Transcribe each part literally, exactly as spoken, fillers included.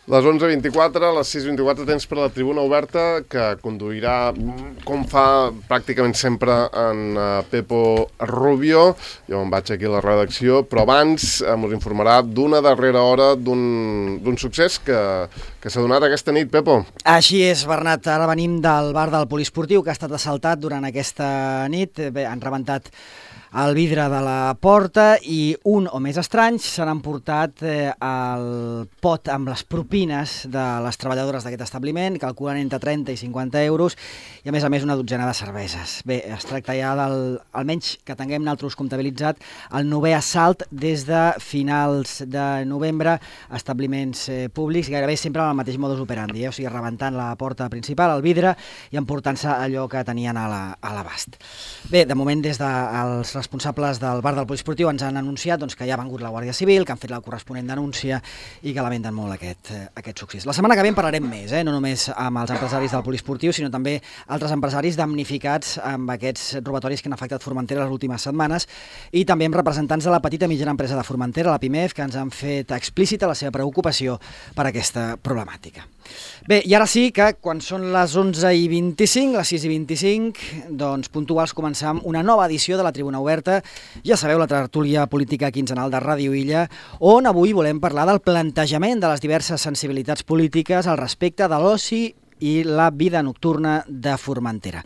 Les onze vint-i-quatre, a les sis vint-i-quatre temps per a la tribuna oberta, que conduirà, com fa pràcticament sempre, en Pepo Rubio. Jo em vaig aquí a la redacció, però abans ens informarà d'una darrera hora d'un succés que, que s'ha donat aquesta nit, Pepo. Així és, Bernat. Ara venim del bar del Poliesportiu, que ha estat assaltat durant aquesta nit. Bé, han rebentat el vidre de la porta i un o més estranys se n'han portat eh, el pot amb les propines de les treballadores d'aquest establiment, calculen entre trenta i cinquanta euros, i a més a més una dotzena de cerveses. Bé, es tracta ja del, almenys que tinguem nosaltres comptabilitzat, el novè assalt des de finals de novembre a establiments eh, públics, gairebé sempre amb el mateix modus operandi, eh? O sigui, rebentant la porta principal, el vidre, i emportant-se allò que tenien a l'abast. Bé, de moment des dels responsables del bar del Poliesportiu ens han anunciat doncs, que ja ha vengut la Guàrdia Civil, que han fet la corresponent denúncia i que lamenten molt aquest, eh, aquest succés. La setmana que ve en parlarem més, eh? No només amb els empresaris del Poliesportiu, sinó també altres empresaris damnificats amb aquests robatoris que han afectat Formentera les últimes setmanes, i també amb representants de la petita i mitjana empresa de Formentera, la PIMEF, que ens han fet explícita la seva preocupació per aquesta problemàtica. Bé, i ara sí que quan són les onze i vint-i-cinc, les sis i vint-i-cinc, doncs puntuals començam una nova edició de la Tribuna Oberta. Ja sabeu, la tertúlia política quinzenal de Ràdio Illa, on avui volem parlar del plantejament de les diverses sensibilitats polítiques al respecte de l'oci i la vida nocturna de Formentera.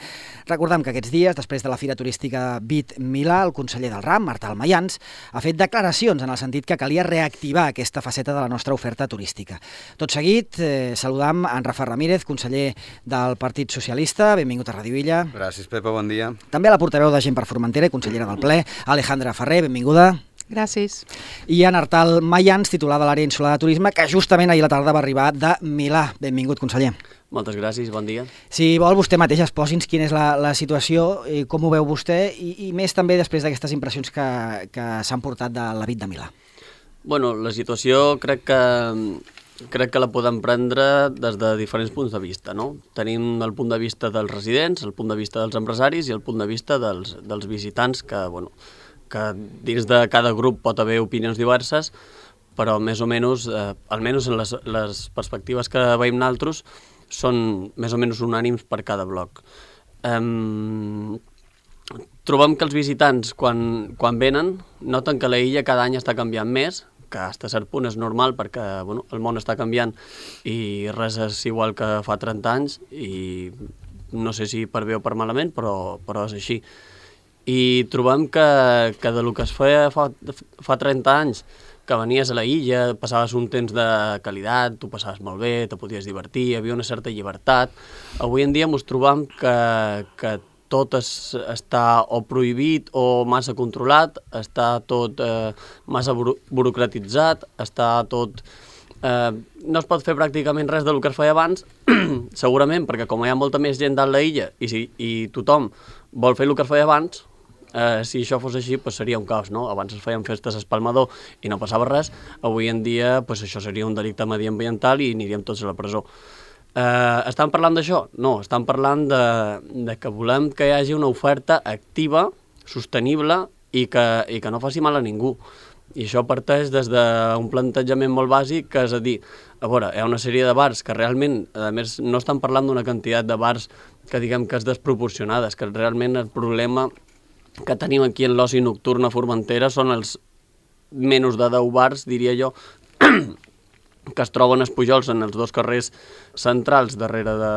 Recordem que aquests dies, després de la Fira Turística Vit Milà, el conseller del RAM, Martal Mayans, ha fet declaracions en el sentit que calia reactivar aquesta faceta de la nostra oferta turística. Tot seguit, eh, saludam en Rafa Ramírez, conseller del Partit Socialista. Benvingut a Ràdio Illa. Gràcies, Pepa, bon dia. També a la portaveu de Gent per Formentera i consellera del ple, Alejandra Ferrer, benvinguda. Gràcies. I en Artal Mayans, titular de l'àrea insular de turisme, que justament ahir a la tarda va arribar de Milà. Benvingut, conseller. Moltes gràcies, bon dia. Si vol, vostè mateix exposi'ns quina és la, la situació, i com ho veu vostè, i, i més també després d'aquestes impressions que, que s'han portat de la Vit de Milà. Bueno, la situació crec que, crec que la podem prendre des de diferents punts de vista, no? Tenim el punt de vista dels residents, el punt de vista dels empresaris i el punt de vista dels, dels visitants, que, bueno, que dins de cada grup pot haver opinions diverses, però més o menys, eh, almenys en les, les perspectives que veiem nosaltres, són més o menys unànims per cada bloc. Um, trobem que els visitants, quan, quan venen, noten que la illa cada any està canviant més, que fins a cert punt és normal perquè bueno, el món està canviant i res és igual que fa trenta anys, i no sé si per bé o per malament, però, però és així. I trobem que, que del que es feia fa, fa trenta anys, que venies a la illa, passaves un temps de qualitat, tu passaves molt bé, te podies divertir, hi havia una certa llibertat. Avui en dia ens trobam que, que tot es, està o prohibit o massa controlat, està tot eh, massa buro burocratitzat, està tot... Eh, no es pot fer pràcticament res del que es feia abans, segurament perquè com hi ha molta més gent dalt la illa i, si, i tothom vol fer el que es feia abans, Uh, si això fos així, pues seria un caos, no? Abans es feien festes a Espalmador i no passava res, avui en dia pues això seria un delicte mediambiental i aniríem tots a la presó. Uh, estan parlant d'això? No, estan parlant de, de que volem que hi hagi una oferta activa, sostenible i que, i que no faci mal a ningú. I això parteix des d'un plantejament molt bàsic, que és a dir, a veure, hi ha una sèrie de bars que realment, a més, no estan parlant d'una quantitat de bars que diguem que és desproporcionada, és que realment el problema que tenim aquí en l'oci nocturn a Formentera són els menys de deu bars, diria jo, que es troben als Pujols en els dos carrers centrals darrere de...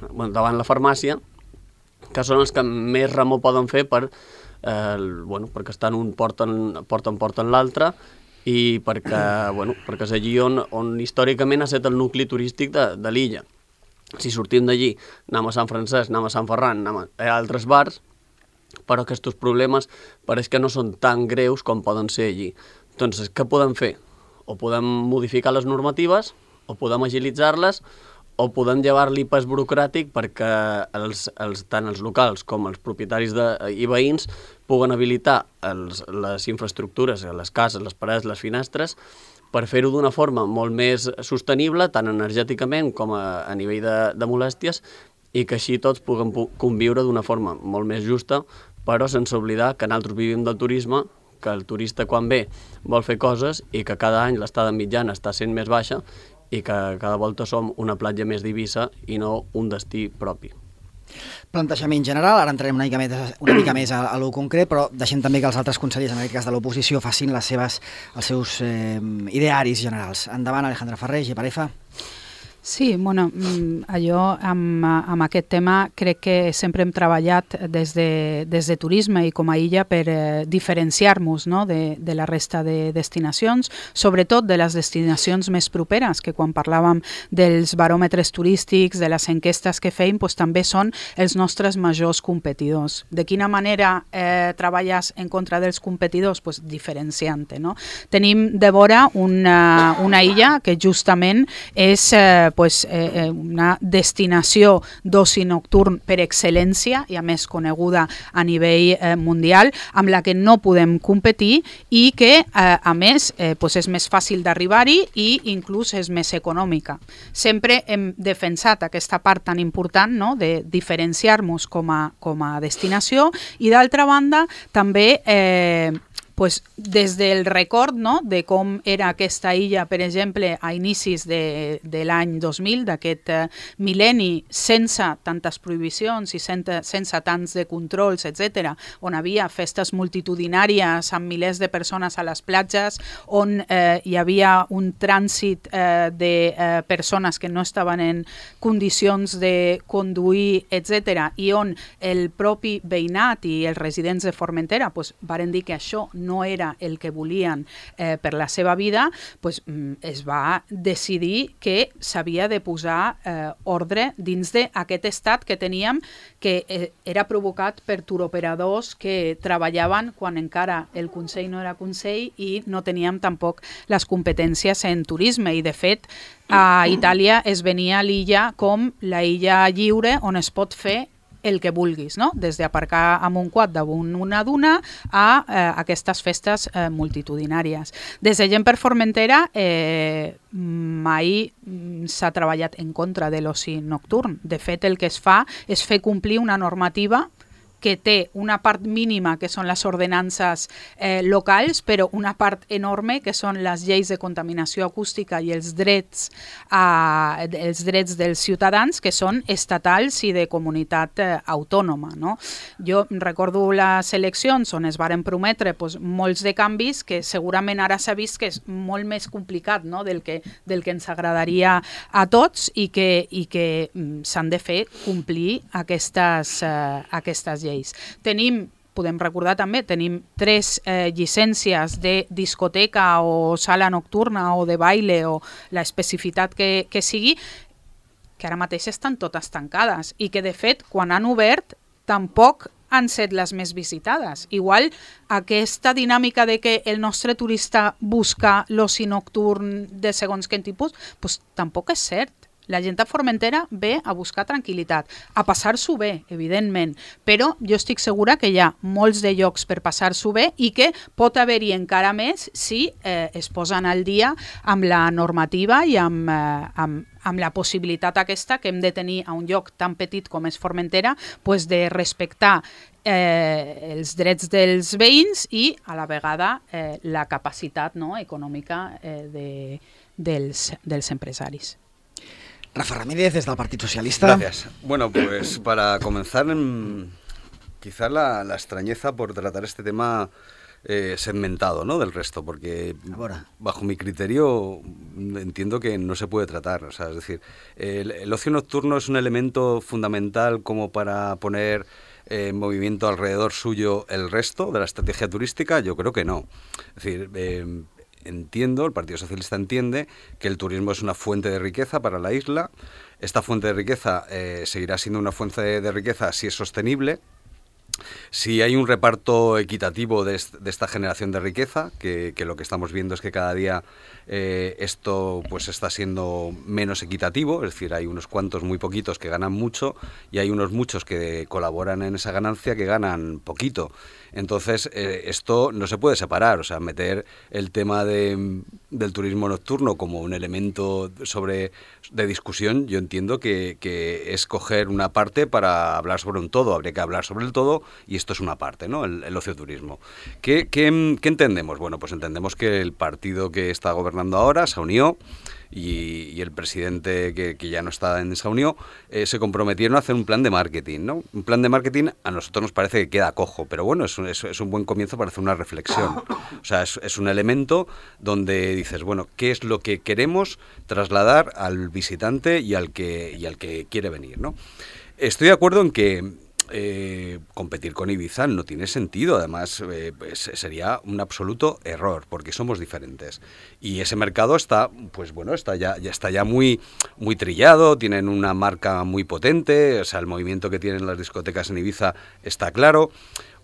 Bueno, davant la farmàcia, que són els que més remor poden fer per, eh, bueno, perquè estan un porten porten, porten l'altre i perquè, bueno, perquè és allí on, on històricament ha estat el nucli turístic de, de l'illa. Si sortim d'allí, anem a Sant Francesc, anem a Sant Ferran, anem a altres bars, però aquests problemes pareix que no són tan greus com poden ser allí. Doncs què podem fer? O podem modificar les normatives, o podem agilitzar-les, o podem llevar-li pes burocràtic perquè els, els, tant els locals com els propietaris de, i veïns puguen habilitar els, les infraestructures, les cases, les parets, les finestres, per fer-ho d'una forma molt més sostenible, tant energèticament com a, a nivell de, de molèsties, i que així tots puguem conviure d'una forma molt més justa, però sense oblidar que nosaltres vivim del turisme, que el turista quan ve vol fer coses i que cada any l'estada mitjana està sent més baixa i que cada volta som una platja més d'Eivissa i no un destí propi. Plantejament general, ara entrarem una mica més, una mica més a, a lo concret, però deixem també que els altres consellers, en aquest cas de l'oposició, facin les seves, els seus eh, idearis generals. Endavant, Alejandra Ferrer, G per F. Sí, bueno, jo amb, amb aquest tema crec que sempre hem treballat des de, des de turisme i com a illa per eh, diferenciar-nos, no?, de, de la resta de destinacions, sobretot de les destinacions més properes, que quan parlàvem dels baròmetres turístics, de les enquestes que feim, doncs també són els nostres majors competidors. De quina manera eh, treballes en contra dels competidors? Pues diferenciant-te, no? Tenim de vora una, una illa que justament és eh, pues, eh, una destinació d'oci nocturn per excel·lència i a més coneguda a nivell eh, mundial, amb la que no podem competir i que eh, a més eh, pues és més fàcil d'arribar-hi i inclús és més econòmica. Sempre hem defensat aquesta part tan important, no?, de diferenciar-nos com a, com a destinació i d'altra banda també eh, pues, des del record, no?, de com era aquesta illa, per exemple, a inicis de, de l'any dos mil, d'aquest eh, mil·lenni, sense tantes prohibicions i sense, sense tants de controls, etcètera, on havia festes multitudinàries amb milers de persones a les platges, on eh, hi havia un trànsit eh, de eh, persones que no estaven en condicions de conduir, etcètera, i on el propi veïnat i els residents de Formentera pues, varen dir que això no era el que volien eh, per la seva vida, pues, es va decidir que s'havia de posar eh, ordre dins d'aquest estat que teníem, que eh, era provocat per turoperadors que treballaven quan encara el Consell no era Consell i no teníem tampoc les competències en turisme. I, de fet, a Itàlia es venia l'illa com la illa lliure on es pot fer el que vulguis, no? Des d'aparcar amb un quad damunt una duna a eh, aquestes festes eh, multitudinàries. Des de Gent per Formentera eh, mai s'ha treballat en contra de l'oci nocturn. De fet, el que es fa és fer complir una normativa que té una part mínima, que són les ordenances eh, locals, però una part enorme, que són les lleis de contaminació acústica i els drets, eh, els drets dels ciutadans, que són estatals i de comunitat eh, autònoma. No? Jo recordo les eleccions on es varen prometre pues, molts de canvis que segurament ara s'ha vist que és molt més complicat, no? del, que, del que ens agradaria a tots i que, i que mm, s'han de fer complir aquestes, eh, aquestes lleis. Tenim, podem recordar també, tenim tres eh, llicències de discoteca o sala nocturna o de baile o l'especificitat que, que sigui, que ara mateix estan totes tancades i que de fet quan han obert tampoc han set les més visitades. Igual aquesta dinàmica de que el nostre turista busca l'oci nocturn de segons quin tipus, doncs tampoc és cert. La gent a Formentera ve a buscar tranquil·litat, a passar-s'ho bé, evidentment, però jo estic segura que hi ha molts de llocs per passar-s'ho bé i que pot haver-hi encara més si eh, es posen al dia amb la normativa i amb, eh, amb, amb la possibilitat aquesta que hem de tenir a un lloc tan petit com és Formentera, pues de respectar eh, els drets dels veïns i a la vegada eh, la capacitat, no, econòmica eh, de, dels, dels empresaris. Rafa Ramírez, desde el Partido Socialista. Gracias. Bueno, pues para comenzar, quizás la, la extrañeza por tratar este tema eh, segmentado, ¿no?, del resto, porque Ahora. bajo mi criterio entiendo que no se puede tratar. O sea, es decir, el, el ocio nocturno es un elemento fundamental como para poner en eh, movimiento alrededor suyo el resto de la estrategia turística. Yo creo que no. Es decir, eh, entiendo, el Partido Socialista entiende que el turismo es una fuente de riqueza para la isla. Esta fuente de riqueza eh, seguirá siendo una fuente de, de riqueza si es sostenible, si hay un reparto equitativo de, est- de esta generación de riqueza, que, que lo que estamos viendo es que cada día eh, esto pues está siendo menos equitativo, es decir, hay unos cuantos muy poquitos que ganan mucho y hay unos muchos que colaboran en esa ganancia que ganan poquito. Entonces, eh, esto no se puede separar, o sea, meter el tema de, del turismo nocturno como un elemento sobre de discusión, yo entiendo que, que es coger una parte para hablar sobre un todo, habría que hablar sobre el todo y esto es una parte, ¿no? El, el ocioturismo. ¿Qué, qué, ¿Qué entendemos? Bueno, pues entendemos que el partido que está gobernando ahora se unió y, y el presidente que, que ya no está en esa unión eh, se comprometieron a hacer un plan de marketing, ¿no? Un plan de marketing a nosotros nos parece que queda cojo, pero bueno, es un, es, es un buen comienzo para hacer una reflexión. O sea, es, es un elemento donde dices, bueno, ¿qué es lo que queremos trasladar al visitante y al que, y al que quiere venir, ¿no? Estoy de acuerdo en que Eh, competir con Ibiza no tiene sentido, además eh, pues sería un absoluto error porque somos diferentes y ese mercado está, pues bueno, está ya, ya está ya muy, muy trillado, tienen una marca muy potente, o sea, el movimiento que tienen las discotecas en Ibiza está claro.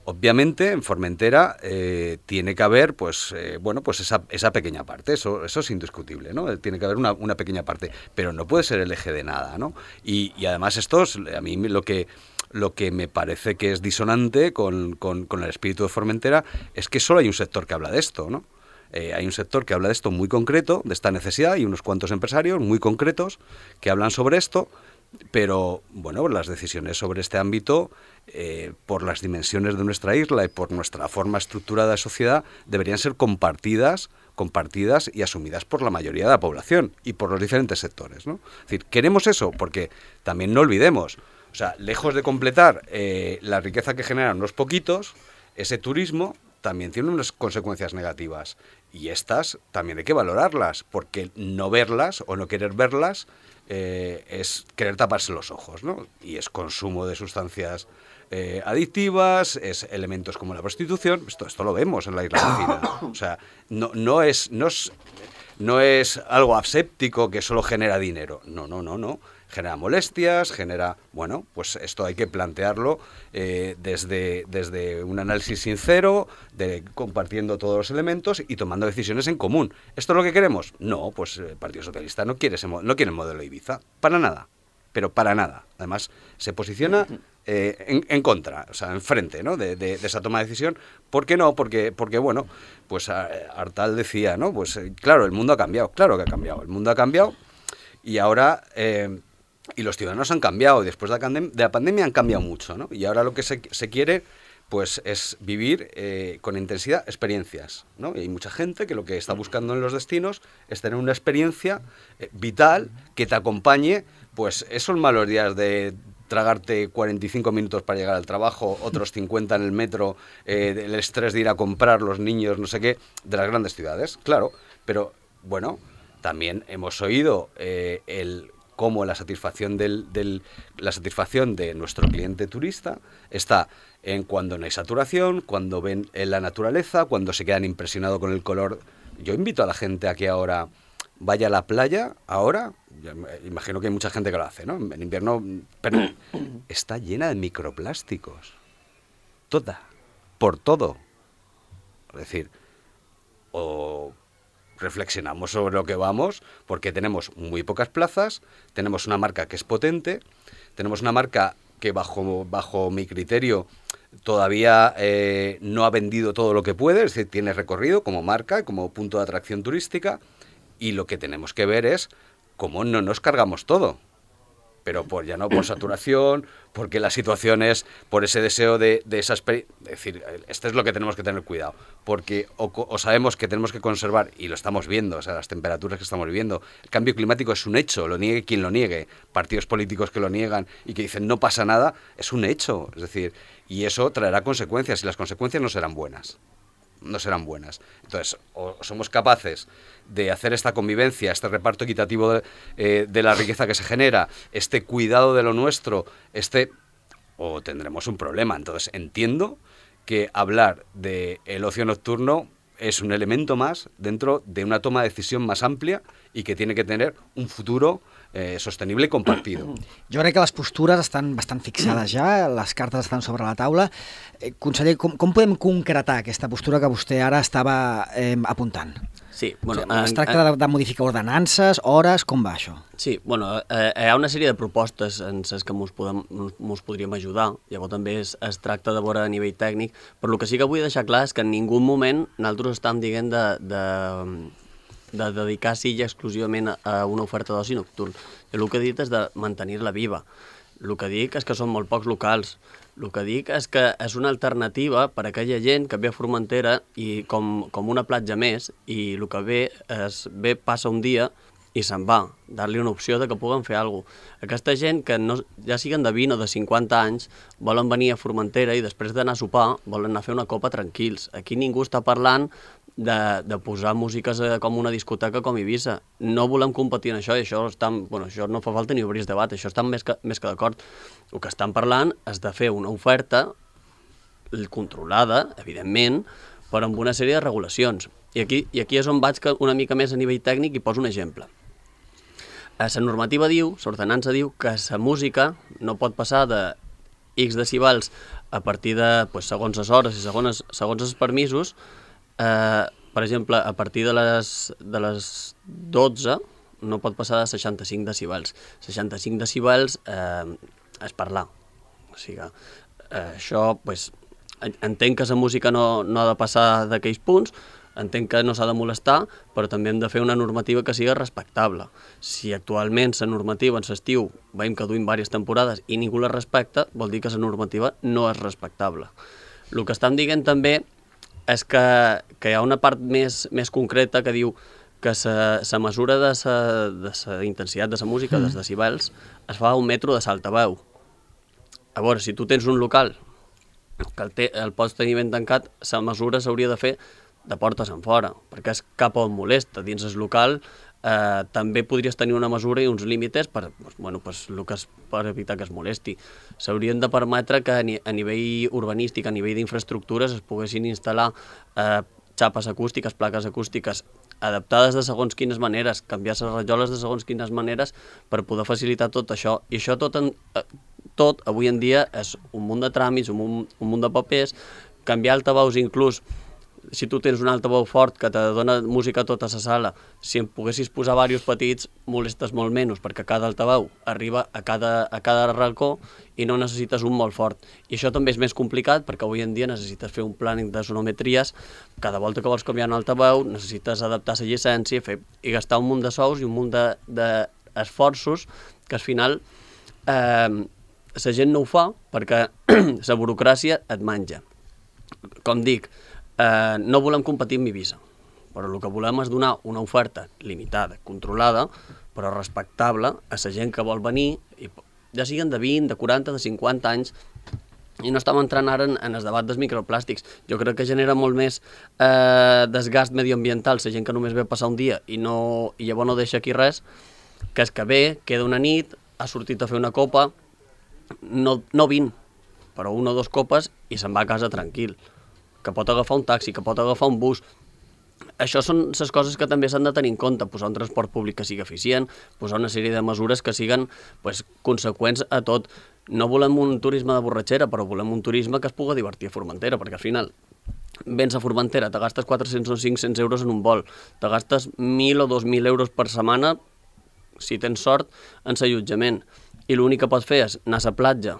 Obviamente en Formentera eh, tiene que haber pues eh, bueno pues esa, esa pequeña parte, eso, eso es indiscutible, ¿no? Tiene que haber una, una pequeña parte, pero no puede ser el eje de nada, ¿no? Y, y además esto es, a mí lo que Lo que me parece que es disonante con, con, con el espíritu de Formentera es que solo hay un sector que habla de esto, ¿no? Eh, hay un sector que habla de esto muy concreto, de esta necesidad, y unos cuantos empresarios muy concretos que hablan sobre esto, pero, bueno, las decisiones sobre este ámbito, eh, por las dimensiones de nuestra isla y por nuestra forma estructurada de sociedad, deberían ser compartidas compartidas y asumidas por la mayoría de la población y por los diferentes sectores, ¿no? Es decir, queremos eso porque también no olvidemos, o sea, lejos de completar eh, la riqueza que generan unos poquitos, ese turismo también tiene unas consecuencias negativas y estas también hay que valorarlas, porque no verlas o no querer verlas eh, es querer taparse los ojos, ¿no? Y es consumo de sustancias eh, adictivas, es elementos como la prostitución, esto, esto lo vemos en la isla vecina, o sea, no, no, es, no, es, no es algo aséptico que solo genera dinero, no, no, no, no. Genera molestias, genera... Bueno, pues esto hay que plantearlo eh, desde, desde un análisis sincero, de, compartiendo todos los elementos y tomando decisiones en común. ¿Esto es lo que queremos? No, pues el Partido Socialista no quiere, ese, no quiere el modelo Ibiza. Para nada. Pero para nada. Además, se posiciona eh, en, en contra, o sea, enfrente, ¿no? de, de, de esa toma de decisión. ¿Por qué no? Porque, porque bueno, pues Artal decía, ¿no? Pues claro, el mundo ha cambiado. Claro que ha cambiado. El mundo ha cambiado y ahora... Eh, Y los ciudadanos han cambiado, y después de la, pandem- de la pandemia han cambiado mucho, ¿no? Y ahora lo que se, se quiere, pues, es vivir eh, con intensidad experiencias, ¿no? Y hay mucha gente que lo que está buscando en los destinos es tener una experiencia eh, vital que te acompañe, pues, esos malos días de tragarte cuarenta y cinco minutos para llegar al trabajo, otros cincuenta en el metro, eh, el estrés de ir a comprar los niños, no sé qué, de las grandes ciudades, claro. Pero, bueno, también hemos oído eh, el... cómo la satisfacción del, del la satisfacción de nuestro cliente turista está en cuando no hay saturación, cuando ven en la naturaleza, cuando se quedan impresionados con el color. Yo invito a la gente a que ahora vaya a la playa, ahora, imagino que hay mucha gente que lo hace, ¿no? En invierno, pero está llena de microplásticos. Toda, por todo. Es decir, o... reflexionamos sobre lo que vamos, porque tenemos muy pocas plazas, tenemos una marca que es potente, tenemos una marca que bajo, bajo mi criterio todavía eh, no ha vendido todo lo que puede, es decir, tiene recorrido como marca, como punto de atracción turística, y lo que tenemos que ver es cómo no nos cargamos todo. Pero por ya no por saturación, porque la situación es por ese deseo de, de esa experiencia. Es decir, esto es lo que tenemos que tener cuidado, porque o, o sabemos que tenemos que conservar, y lo estamos viendo, o sea, las temperaturas que estamos viviendo, el cambio climático es un hecho, lo niegue quien lo niegue, partidos políticos que lo niegan y que dicen no pasa nada, es un hecho, es decir, y eso traerá consecuencias, y las consecuencias no serán buenas. no serán buenas. Entonces, o somos capaces de hacer esta convivencia, este reparto equitativo de, eh, de la riqueza que se genera, este cuidado de lo nuestro, este o tendremos un problema. Entonces, entiendo que hablar del ocio nocturno es un elemento más dentro de una toma de decisión más amplia y que tiene que tener un futuro eh, sostenible i compartido. Jo crec que les postures estan bastant fixades ja, les cartes estan sobre la taula. Eh, conseller, com, com podem concretar aquesta postura que vostè ara estava eh, apuntant? Sí, bueno, o sigui, es tracta de, de modificar ordenances, hores, com va això? Sí, bueno, eh, hi ha una sèrie de propostes en les que mos, podem, mos podríem ajudar, llavors també es, es tracta de veure a nivell tècnic, però el que sí que vull deixar clar és que en ningú moment nosaltres estem dient de, de, de dedicar sí i exclusivament a una oferta d'oci nocturn. Jo el que he dit és de mantenir-la viva. El que dic és que són molt pocs locals. El que dic és que és una alternativa per a aquella gent que ve a Formentera i com, com una platja més, i el que ve és ve, passa un dia i se'n va, dar-li una opció de que puguen fer alguna cosa. Aquesta gent que no, ja siguen de vint o de cinquanta anys volen venir a Formentera i després d'anar a sopar volen anar a fer una copa tranquils. Aquí ningú està parlant de, de posar músiques com una discoteca com Eivissa. No volem competir en això i això, estan, bueno, això no fa falta ni obrir debat, això estan més que, més que d'acord. El que estan parlant és de fer una oferta controlada, evidentment, però amb una sèrie de regulacions. I aquí, i aquí és on vaig una mica més a nivell tècnic i poso un exemple. La normativa diu, l'ordenança diu que la música no pot passar de X decibels a partir de, pues, segons les hores i segons, segons els permisos. Eh, per exemple, a partir de les, de les dotze no pot passar de seixanta-cinc decibels. seixanta-cinc decibels eh, és parlar. O sigui, eh, això, pues, entenc que la música no, no ha de passar d'aquells punts, entenc que no s'ha de molestar, però també hem de fer una normativa que sigui respectable. Si actualment la normativa en l'estiu veiem que duim diverses temporades i ningú la respecta, vol dir que la normativa no és respectable. El que estem dient també és que, que hi ha una part més, més concreta que diu que la mesura de la intensitat de la música, mm. dels decibels, es fa a un metro de s'altaveu. A veure, si tu tens un local que el, te, el pots tenir ben tancat, la mesura s'hauria de fer de portes en fora, perquè és cap on molesta. Dins el local eh, també podries tenir una mesura i uns límits per, bueno, pues, que és per evitar que es molesti. S'haurien de permetre que a, ni, a nivell urbanístic, a nivell d'infraestructures, es poguessin instal·lar eh, xapes acústiques, plaques acústiques, adaptades de segons quines maneres, canviar les rajoles de segons quines maneres per poder facilitar tot això. I això tot, en, tot avui en dia és un munt de tràmits, un munt, un munt de papers, canviar altaveus inclús. Si tu tens un altaveu fort que te dona música a tota la sala, si en poguessis posar diversos petits, molestes molt menys, perquè cada altaveu arriba a cada, a cada racó i no necessites un molt fort. I això també és més complicat, perquè avui en dia necessites fer un plàning de sonometries, cada volta que vols canviar un altaveu necessites adaptar la llicència fer, i gastar un munt de sous i un munt d'esforços de, de que al final eh, la gent no ho fa perquè la burocràcia et menja. Com dic, Eh, no volem competir amb Eivissa, però el que volem és donar una oferta limitada, controlada, però respectable a la gent que vol venir, i ja siguin de vint, de quaranta, de cinquanta anys, i no estem entrant ara en, en el debat dels microplàstics. Jo crec que genera molt més eh, desgast medioambiental la gent que només ve a passar un dia i, no, i llavors no deixa aquí res, que és que ve, queda una nit, ha sortit a fer una copa, no, no vint, però una o dues copes i se'n va a casa tranquil, que pot agafar un taxi, que pot agafar un bus. Això són les coses que també s'han de tenir en compte, posar un transport públic que sigui eficient, posar una sèrie de mesures que siguin pues, conseqüents a tot. No volem un turisme de borratxera, però volem un turisme que es pugui divertir a Formentera, perquè al final vens a Formentera, te gastes quatre-cents o cinc-cents euros en un vol, te gastes mil o dos mil euros per setmana, si tens sort, en l'allotjament. I l'únic que pots fer és anar a la platja,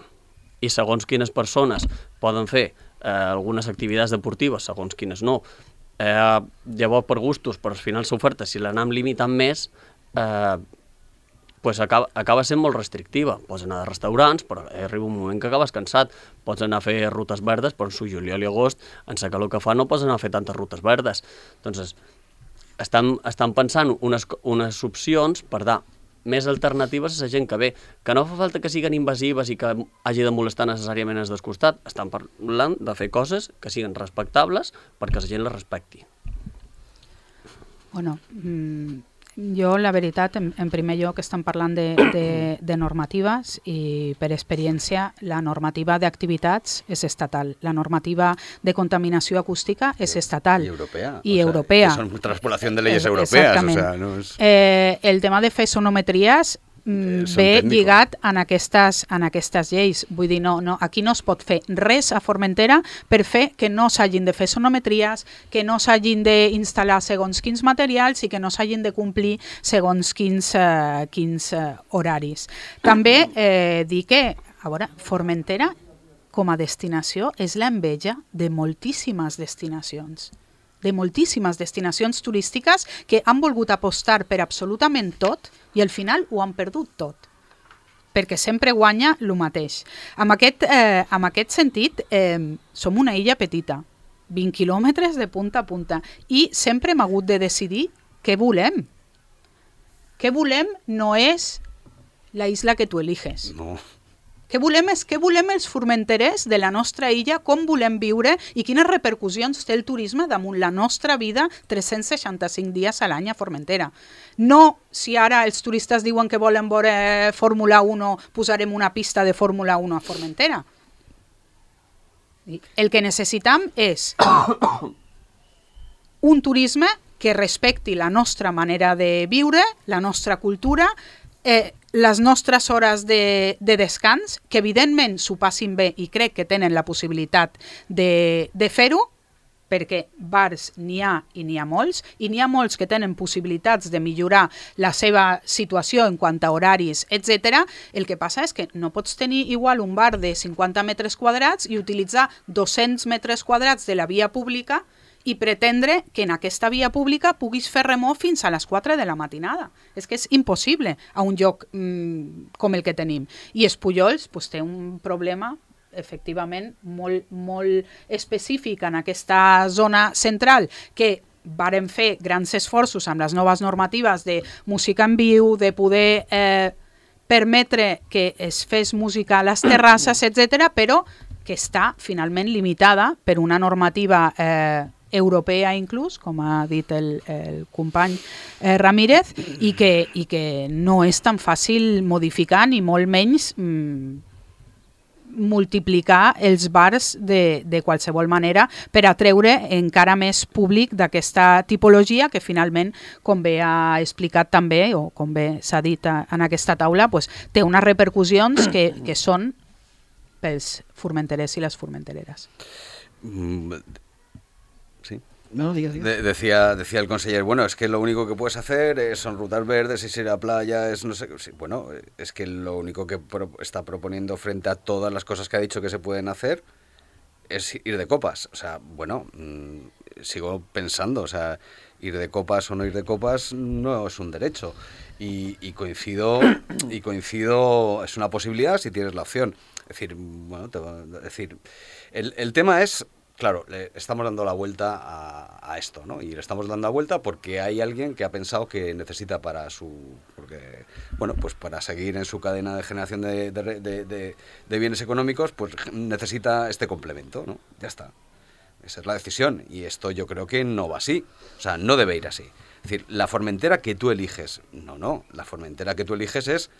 i segons quines persones poden fer eh, algunes activitats deportives, segons quines no. Eh, llavors, per gustos, però al final l'oferta, si l'anem limitant més, eh, pues acaba, acaba sent molt restrictiva. Pots anar a restaurants, però arriba un moment que acabes cansat. Pots anar a fer rutes verdes, però en su juliol i agost, en la calor que fa, no pots anar a fer tantes rutes verdes. Doncs estan, estan pensant unes, unes opcions per dar més alternatives a la gent que ve, que no fa falta que siguin invasives i que hagi de molestar necessàriament els del costat. Estan parlant de fer coses que siguin respectables perquè la gent les respecti. Bueno, mmm, Jo, la veritat, en, en primer lloc estem parlant de, de, de normatives i per experiència la normativa d'activitats és estatal, la normativa de contaminació acústica és estatal. I europea. I o sea, europea. Que són transpolació de leyes europeas. O sea, no és... eh, el tema de fer sonometries Mm, ve lligat en aquestes, en aquestes lleis. Vull dir, no, no, aquí no es pot fer res a Formentera per fer que no s'hagin de fer sonometries, que no s'hagin d'instal·lar segons quins materials i que no s'hagin de complir segons quins, eh, quins eh, horaris. També eh, dir que, a veure, Formentera com a destinació és l'enveja de moltíssimes destinacions. de moltíssimes destinacions turístiques que han volgut apostar per absolutament tot i al final ho han perdut tot, perquè sempre guanya el mateix. En aquest, eh, en aquest sentit, eh, som una illa petita, vint quilòmetres de punta a punta, i sempre hem hagut de decidir què volem. Què volem no és la isla que tu eliges. No. Què volem és què volem els formenterers de la nostra illa, com volem viure i quines repercussions té el turisme damunt la nostra vida tres-cents seixanta-cinc dies a l'any a Formentera. No si ara els turistes diuen que volen veure Fórmula uno, posarem una pista de Fórmula uno a Formentera. El que necessitam és un turisme que respecti la nostra manera de viure, la nostra cultura, eh, les nostres hores de, de descans, que evidentment s'ho passin bé i crec que tenen la possibilitat de, de fer-ho, perquè bars n'hi ha i n'hi ha molts, i n'hi ha molts que tenen possibilitats de millorar la seva situació en quant a horaris, etcètera. El que passa és que no pots tenir igual un bar de cinquanta metres quadrats i utilitzar dos-cents metres quadrats de la via pública i pretendre que en aquesta via pública puguis fer remor fins a les quatre de la matinada. És que és impossible a un lloc mmm, com el que tenim. I Espullols pues, té un problema efectivament molt, molt específic en aquesta zona central, que varen fer grans esforços amb les noves normatives de música en viu, de poder eh, permetre que es fes música a les terrasses, etcètera, però que està finalment limitada per una normativa eh, europea inclús, com ha dit el, el company eh, Ramírez, i que, i que no és tan fàcil modificar, ni molt menys mm, multiplicar els bars de, de qualsevol manera per atreure encara més públic d'aquesta tipologia que finalment, com bé ha explicat també, o com bé s'ha dit a, en aquesta taula, pues, té unes repercussions que, que són pels formenterers i les formentereres. Mm, sí. No, diga, diga. De, decía, decía el conseller, bueno, es que lo único que puedes hacer es, son rutas verdes, es ir a la playa, es no sé, sí, bueno, es que lo único que pro, está proponiendo frente a todas las cosas que ha dicho que se pueden hacer es ir de copas. O sea, bueno, mmm, sigo pensando, o sea, ir de copas o no ir de copas no es un derecho. Y, y coincido, y coincido, es una posibilidad si tienes la opción. Es decir, bueno, te va, es decir, el, el tema es... Claro, le estamos dando la vuelta a, a esto, ¿no? Y le estamos dando la vuelta porque hay alguien que ha pensado que necesita para su... Porque, bueno, pues para seguir en su cadena de generación de, de, de, de, de bienes económicos, pues necesita este complemento, ¿no? Ya está. Esa es la decisión. Y esto yo creo que no va así. O sea, no debe ir así. Es decir, la Formentera que tú eliges... No, no. La Formentera que tú eliges es...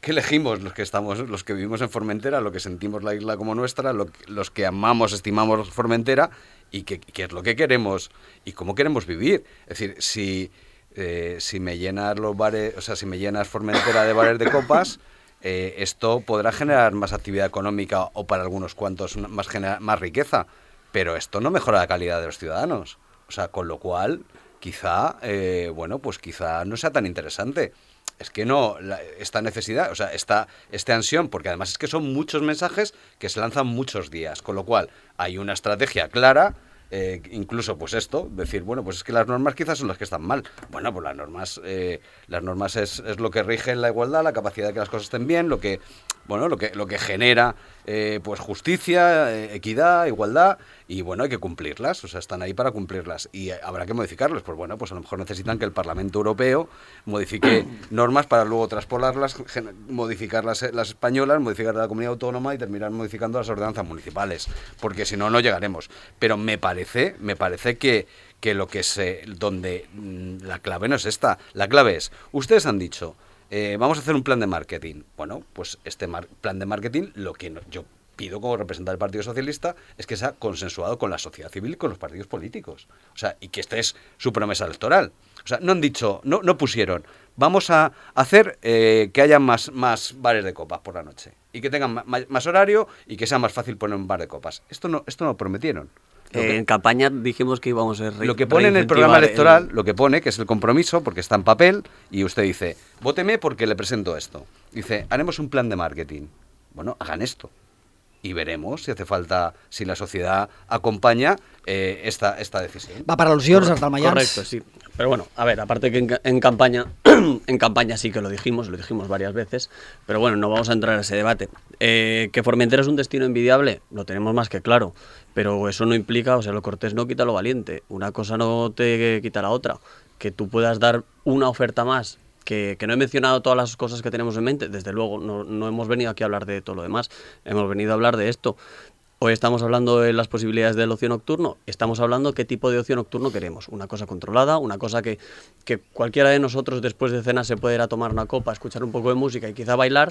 ¿Qué elegimos los que estamos, los que vivimos en Formentera, lo que sentimos la isla como nuestra, lo, los que amamos, estimamos Formentera y qué es lo que queremos y cómo queremos vivir? Es decir, si, eh, si me llenas los bares, o sea, si me llenas Formentera de bares de copas, eh, esto podrá generar más actividad económica o para algunos cuantos más, genera, más riqueza, pero esto no mejora la calidad de los ciudadanos. O sea, con lo cual, quizá, eh, bueno, pues quizá no sea tan interesante. Es que no, la, esta necesidad, o sea, esta, esta ansión, porque además es que son muchos mensajes que se lanzan muchos días, con lo cual hay una estrategia clara, eh, incluso pues esto, decir, bueno, pues es que las normas quizás son las que están mal. Bueno, pues las normas, eh, las normas es, es lo que rige la igualdad, la capacidad de que las cosas estén bien, lo que, bueno, lo que, lo que genera eh, pues justicia, eh, equidad, igualdad, y bueno, hay que cumplirlas, o sea, están ahí para cumplirlas y habrá que modificarlas. Pues bueno, pues a lo mejor necesitan que el Parlamento Europeo modifique normas para luego traspolarlas, modificar las, las españolas, modificar la comunidad autónoma y terminar modificando las ordenanzas municipales, porque si no, no llegaremos. Pero me parece, me parece que, que lo que se, donde mm, la clave no es esta, la clave es, ustedes han dicho, eh, vamos a hacer un plan de marketing. Bueno, pues este mar- plan de marketing, lo que no, yo pido como representante del Partido Socialista es que sea consensuado con la sociedad civil y con los partidos políticos. O sea, y que esta es su promesa electoral. O sea, no han dicho, no, no pusieron, vamos a hacer eh, que haya más, más bares de copas por la noche y que tengan ma- más horario y que sea más fácil poner un bar de copas. Esto no, esto no lo prometieron. Lo que, en campaña dijimos que íbamos a re, Lo que pone en el programa electoral, el... lo que pone, que es el compromiso, porque está en papel, y usted dice, vóteme porque le presento esto. Dice, haremos un plan de marketing. Bueno, hagan esto. Y veremos si hace falta, si la sociedad acompaña eh, esta, esta decisión. Va para al·lusions, els dalmaians. Correcto, sí. Pero bueno, a ver, aparte que en, en campaña, en campaña sí que lo dijimos, lo dijimos varias veces, pero bueno, no vamos a entrar en ese debate. Eh, que Formentera es un destino envidiable, lo tenemos más que claro, pero eso no implica, o sea, lo cortés no quita lo valiente. Una cosa no te quita la otra. Que tú puedas dar una oferta más. Que, que no he mencionado todas las cosas que tenemos en mente, desde luego, no, no hemos venido aquí a hablar de todo lo demás, hemos venido a hablar de esto. Hoy estamos hablando de las posibilidades del ocio nocturno, estamos hablando qué tipo de ocio nocturno queremos, una cosa controlada, una cosa que, que cualquiera de nosotros después de cenar se puede ir a tomar una copa, escuchar un poco de música y quizá bailar,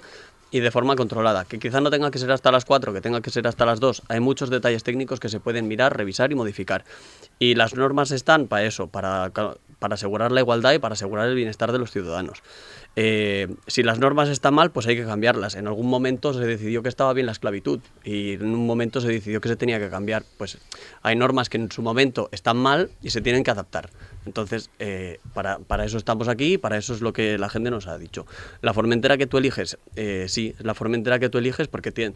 y de forma controlada, que quizá no tenga que ser hasta las cuatro, que tenga que ser hasta las dos, hay muchos detalles técnicos que se pueden mirar, revisar y modificar, y las normas están para eso, para... para asegurar la igualdad y para asegurar el bienestar de los ciudadanos. Eh, si las normas están mal, pues hay que cambiarlas. En algún momento se decidió que estaba bien la esclavitud y en un momento se decidió que se tenía que cambiar. Pues hay normas que en su momento están mal y se tienen que adaptar. Entonces, eh, para, para eso estamos aquí y para eso es lo que la gente nos ha dicho. La Formentera que tú eliges, eh, sí, la Formentera que tú eliges porque tiene,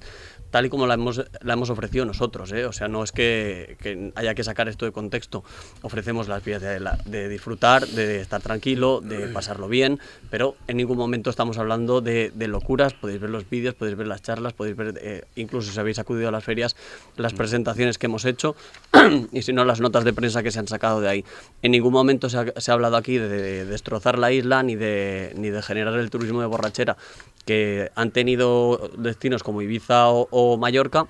tal y como la hemos, la hemos ofrecido nosotros, ¿eh? O sea, no es que, que haya que sacar esto de contexto. Ofrecemos las vías de, la, de disfrutar, de estar tranquilo, de pasarlo bien, pero en ningún momento estamos hablando de, de locuras. Podéis ver los vídeos, podéis ver las charlas, podéis ver, eh, incluso si habéis acudido a las ferias, las presentaciones que hemos hecho y si no, las notas de prensa que se han sacado de ahí. En ningún momento se ha, se ha hablado aquí de, de destrozar la isla ni de, ni de generar el turismo de borrachera que han tenido destinos como Ibiza o, o Mallorca,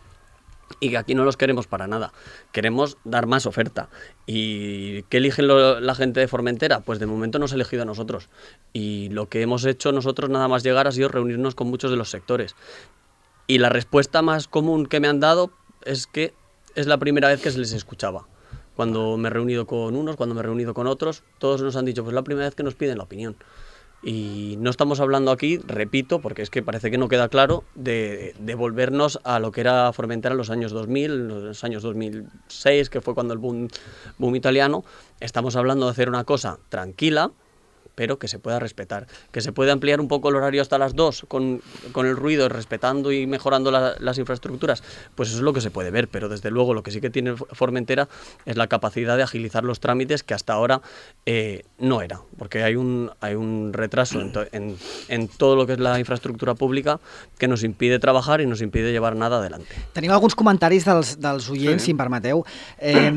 y que aquí no los queremos para nada. Queremos dar más oferta. ¿Y qué eligen lo, la gente de Formentera? Pues de momento nos ha elegido a nosotros. Y lo que hemos hecho nosotros nada más llegar ha sido reunirnos con muchos de los sectores. Y la respuesta más común que me han dado es que es la primera vez que se les escuchaba. Cuando me he reunido con unos, cuando me he reunido con otros, todos nos han dicho, pues es la primera vez que nos piden la opinión. Y no estamos hablando aquí, repito, porque es que parece que no queda claro, de, de volvernos a lo que era Formentera en los años dos mil, en los años dos mil seis, que fue cuando el boom, boom italiano. Estamos hablando de hacer una cosa tranquila, pero que se pueda respetar, que se puede ampliar un poco el horario hasta las dos con, con el ruido, respetando y mejorando la, las infraestructuras, pues eso es lo que se puede ver, pero desde luego lo que sí que tiene Formentera es la capacidad de agilizar los trámites que hasta ahora eh, no era, porque hay un, hay un retraso en, to, en, en todo lo que es la infraestructura pública que nos impide trabajar i nos impide llevar nada adelante. Tenim alguns comentaris dels, dels oients, sí. Si em permeteu. Eh,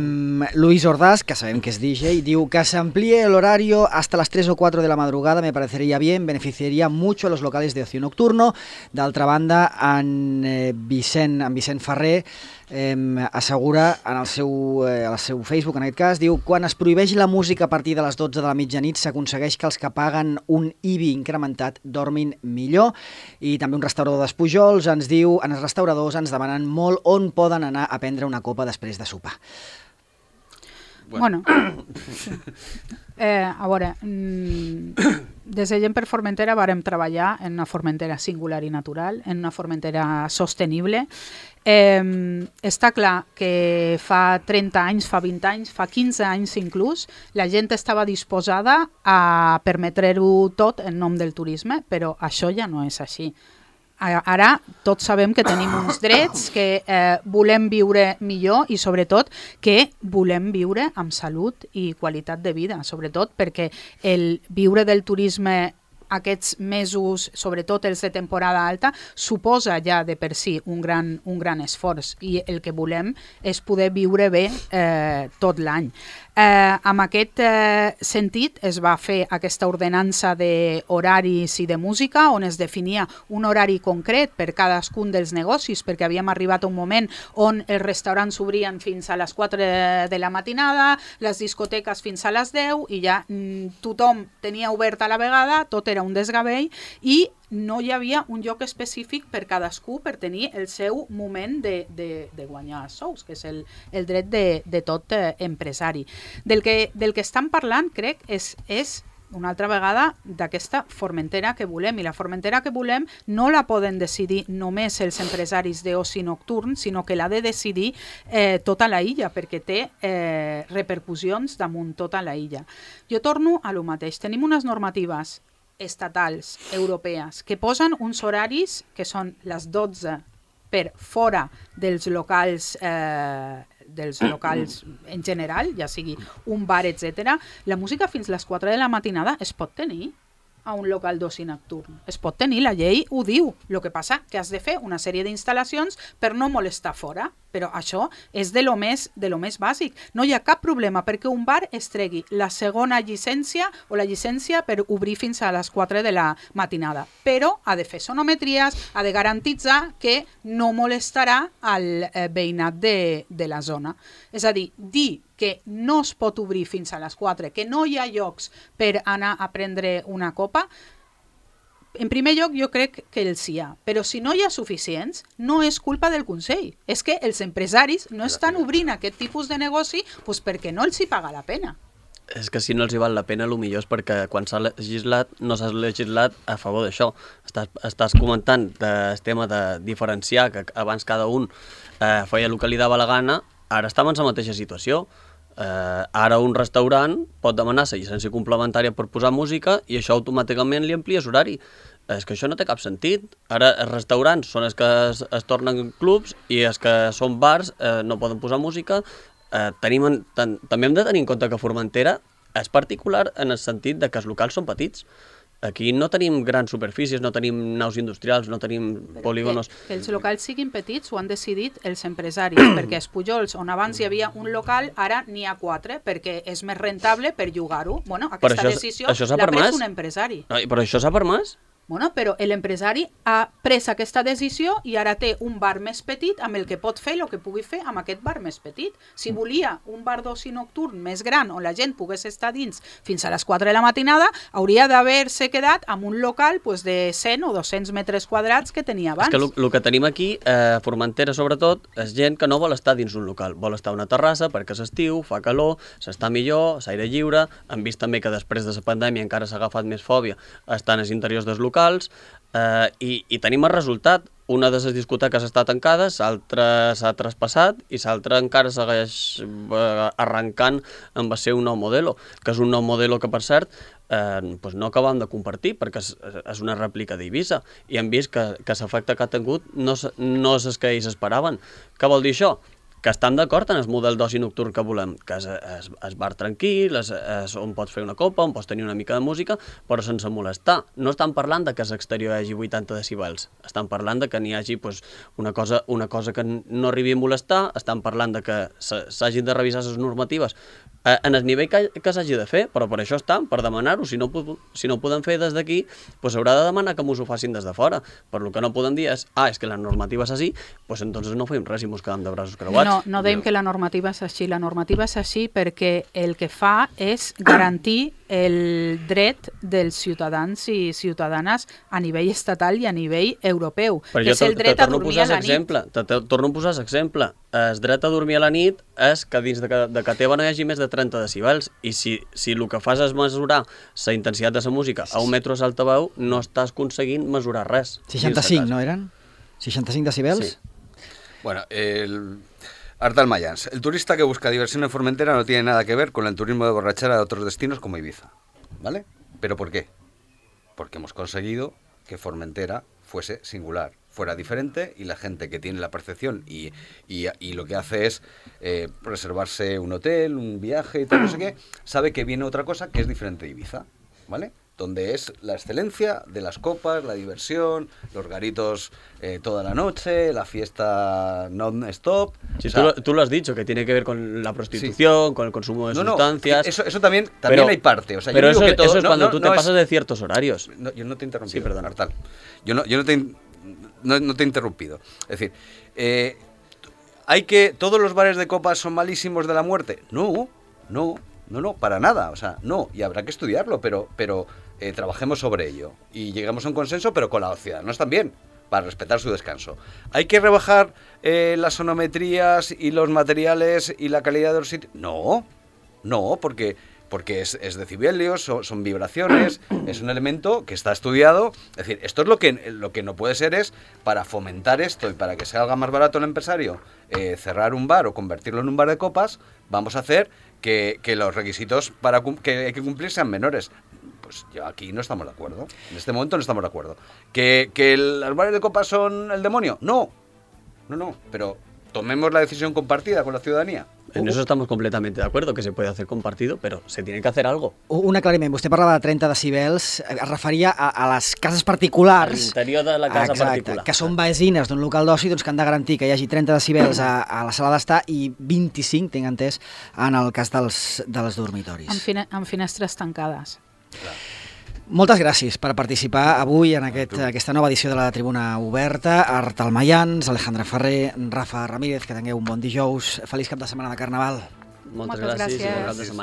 Luis Ordaz, que sabem que és D J, diu que s'amplíe el horario hasta las tres o cuatro de la madrugada me parecería bien, beneficiaría mucho a los locales de ocio nocturno. D'altra banda, en eh, Vicent, en Vicent Ferrer eh, assegura en el seu, eh, al seu Facebook, en aquest cas, diu quan es prohibeix la música a partir de les dotze de la mitjanit s'aconsegueix que els que paguen un I B I incrementat dormin millor. I també un restaurador d'Espujols ens diu, en els restauradors ens demanen molt on poden anar a prendre una copa després de sopar. Bueno, eh, a veure, des de Gent per Formentera vàrem treballar en una Formentera singular i natural, en una Formentera sostenible. Eh, està clar que fa trenta anys, fa vint anys, fa quinze anys inclús, la gent estava disposada a permetre-ho tot en nom del turisme, però això ja no és així. Ara tots sabem que tenim uns drets, que eh, volem viure millor i sobretot que volem viure amb salut i qualitat de vida, sobretot perquè el viure del turisme aquests mesos, sobretot els de temporada alta, suposa ja de per si un gran, un gran esforç i el que volem és poder viure bé eh, tot l'any. Eh, amb aquest eh, sentit es va fer aquesta ordenança d'horaris i de música on es definia un horari concret per cadascun dels negocis, perquè havíem arribat a un moment on els restaurants s'obrien fins a les quatre de la matinada, les discoteques fins a les deu i ja mm, tothom tenia obert a la vegada, tot era un desgavell i no hi havia un lloc específic per cadascú per tenir el seu moment de, de, de guanyar sous, que és el, el dret de, de tot eh, empresari. Del que, del que estan parlant, crec, és, és una altra vegada d'aquesta Formentera que volem, i la Formentera que volem no la poden decidir només els empresaris d'oci nocturn, sinó que l'ha de decidir eh, tota la illa, perquè té eh, repercussions damunt tota la illa. Jo torno a lo mateix. Tenim unes normatives estatals, europees, que posen uns horaris que són les dotze per fora dels locals eh, dels locals en general, ja sigui un bar, etcètera. La música fins les quatre de la matinada es pot tenir a un local d'oci nocturn. Es pot tenir, la llei ho diu. El que passa que has de fer una sèrie d'instal·lacions per no molestar fora, però això és de lo més, de lo més bàsic. No hi ha cap problema perquè un bar es tregui la segona llicència o la llicència per obrir fins a les quatre de la matinada, però ha de fer sonometries, ha de garantitzar que no molestarà el eh, veïnat de, de la zona. És a dir, dir que no es pot obrir fins a les quatre, que no hi ha llocs per anar a prendre una copa, en primer lloc jo crec que els hi ha, però si no hi ha suficients, no és culpa del Consell. És que els empresaris no estan obrint aquest tipus de negoci doncs perquè no els hi paga la pena. És que si no els hi val la pena, el millor és perquè quan s'ha legislat, no s'ha legislat a favor d'això. Estàs, estàs comentant el tema de diferenciar, que abans cada un eh, feia el que li dava la gana, ara estem en la mateixa situació. Eh, ara un restaurant pot demanar la llicència complementària per posar música i això automàticament li amplies horari. És que això no té cap sentit. Ara els restaurants són els que es, es tornen clubs i els que són bars eh, no poden posar música. Eh, tenim, ten, també hem de tenir en compte que Formentera és particular en el sentit de que els locals són petits. Aquí no tenim grans superfícies, no tenim naus industrials, no tenim polígonos. Que, que els locals siguin petits ho han decidit els empresaris, perquè els Pujols, on abans hi havia un local, ara n'hi ha quatre, perquè és més rentable per llogar-ho. Bueno, aquesta això, decisió l'ha pres un empresari. No, però això s'ha permès? Bueno, però l'empresari ha pres aquesta decisió i ara té un bar més petit amb el que pot fer el que pugui fer amb aquest bar més petit. Si volia un bar d'oci nocturn més gran on la gent pogués estar dins fins a les quatre de la matinada, hauria d'haver-se quedat amb un local pues, de cent o dos-cents metres quadrats que tenia abans. És que el que tenim aquí, a eh, Formentera sobretot, és gent que no vol estar dins un local, vol estar a una terrassa perquè és estiu, fa calor, s'està millor, s'aire lliure. Hem vist també que després de la pandèmia encara s'ha agafat més fòbia estar als interiors dels locals. locals eh, i, i tenim el resultat. Una de les discoteques està tancada, l'altra s'ha traspassat i l'altra encara segueix eh, arrencant amb el seu nou modelo, que és un nou modelo que, per cert, eh, doncs no acabem de compartir perquè és, és una rèplica d'Eivissa i hem vist que, que l'efecte que ha tingut no, no és el que ells esperaven. Què vol dir això? Que estem d'acord en el model d'oci nocturn que volem, que és, és, és bar tranquil, és, és on pots fer una copa, on pots tenir una mica de música, però sense molestar. No estan parlant de que a l'exterior hi hagi vuitanta decibels, estan parlant de que n'hi hagi pues, una, cosa, una cosa que no arribi a molestar, estan parlant de que s'hagin de revisar les normatives eh, en el nivell que, que s'hagi de fer, però per això estan, per demanar-ho. Si no, si no ho podem fer des d'aquí, pues haurà de demanar que mos ho facin des de fora. Per lo que no podem dir és, ah, és que la normativa és així, pues entonces no fem res i mos quedem de braços creuats. No, no dèiem que la normativa és així. La normativa és així perquè el que fa és garantir el dret dels ciutadans i ciutadanes a nivell estatal i a nivell europeu, però que és el dret a dormir a la nit. Te, te torno a posar l'exemple. El dret a dormir a la nit és que dins de, de que teva no hi hagi més de trenta decibels i si, si el que fas és mesurar la intensitat de la música a un metro d'altaveu, no estàs aconseguint mesurar res. seixanta-cinc, no eren? seixanta-cinc decibels? Sí. Bueno, el... Ardal Mayans. El turista que busca diversión en Formentera no tiene nada que ver con el turismo de borrachera de otros destinos como Ibiza, ¿vale? ¿Pero por qué? Porque hemos conseguido que Formentera fuese singular, fuera diferente y la gente que tiene la percepción y, y, y lo que hace es eh, reservarse un hotel, un viaje y tal, no sé qué, sabe que viene otra cosa que es diferente de Ibiza, ¿vale? donde es la excelencia de las copas, la diversión, los garitos eh, toda la noche, la fiesta non-stop. Sí, o sea, tú, lo, tú lo has dicho, que tiene que ver con la prostitución, sí. con el consumo de no, sustancias. No, eso, eso también, también pero, hay parte. O sea, pero yo digo eso, que todo, eso es no, cuando no, tú no te es, pasas de ciertos horarios. No, yo no te he interrumpido, sí, perdón. Artal. Yo no, yo no te he, no, no te he interrumpido. Es decir, eh, ¿hay que todos los bares de copas son malísimos de la muerte? No, no. No, no, para nada, o sea, no, y habrá que estudiarlo, pero, pero eh, trabajemos sobre ello y lleguemos a un consenso, pero con los ciudadanos también, para respetar su descanso. ¿Hay que rebajar eh, las sonometrías y los materiales y la calidad de los sitios? No, no, porque, porque es, es decibelios, son, son vibraciones, es un elemento que está estudiado. Es decir, esto es lo que, lo que no puede ser es, para fomentar esto y para que salga más barato el empresario, eh, cerrar un bar o convertirlo en un bar de copas, vamos a hacer que, que los requisitos para que hay que cumplir sean menores. Pues yo aquí no estamos de acuerdo. En este momento no estamos de acuerdo. ¿Que, que los bares de copas son el demonio? No, no, no, pero tomemos la decisión compartida con la ciudadanía. En eso estamos completamente de acuerdo, que se puede hacer compartido, però se tiene que hacer algo. Un aclariment, vostè parlava de trenta decibels, es referia a, a les cases particulars. A l'interior de la casa exacte, particular. Que són veïnes d'un local d'oci, doncs, que han de garantir que hi hagi trenta decibels a, a la sala d'estar i vint-i-cinc, tinc entès, en el cas dels, dels dormitoris. Amb, fine, amb finestres tancades. Clar. Moltes gràcies per participar avui en aquest, aquesta nova edició de la Tribuna Oberta. Artal Mayans, Alejandra Ferrer, Rafa Ramírez, que tingueu un bon dijous. Feliç cap de setmana de Carnaval. Moltes, Moltes gràcies, gràcies. i bon cap de setmana.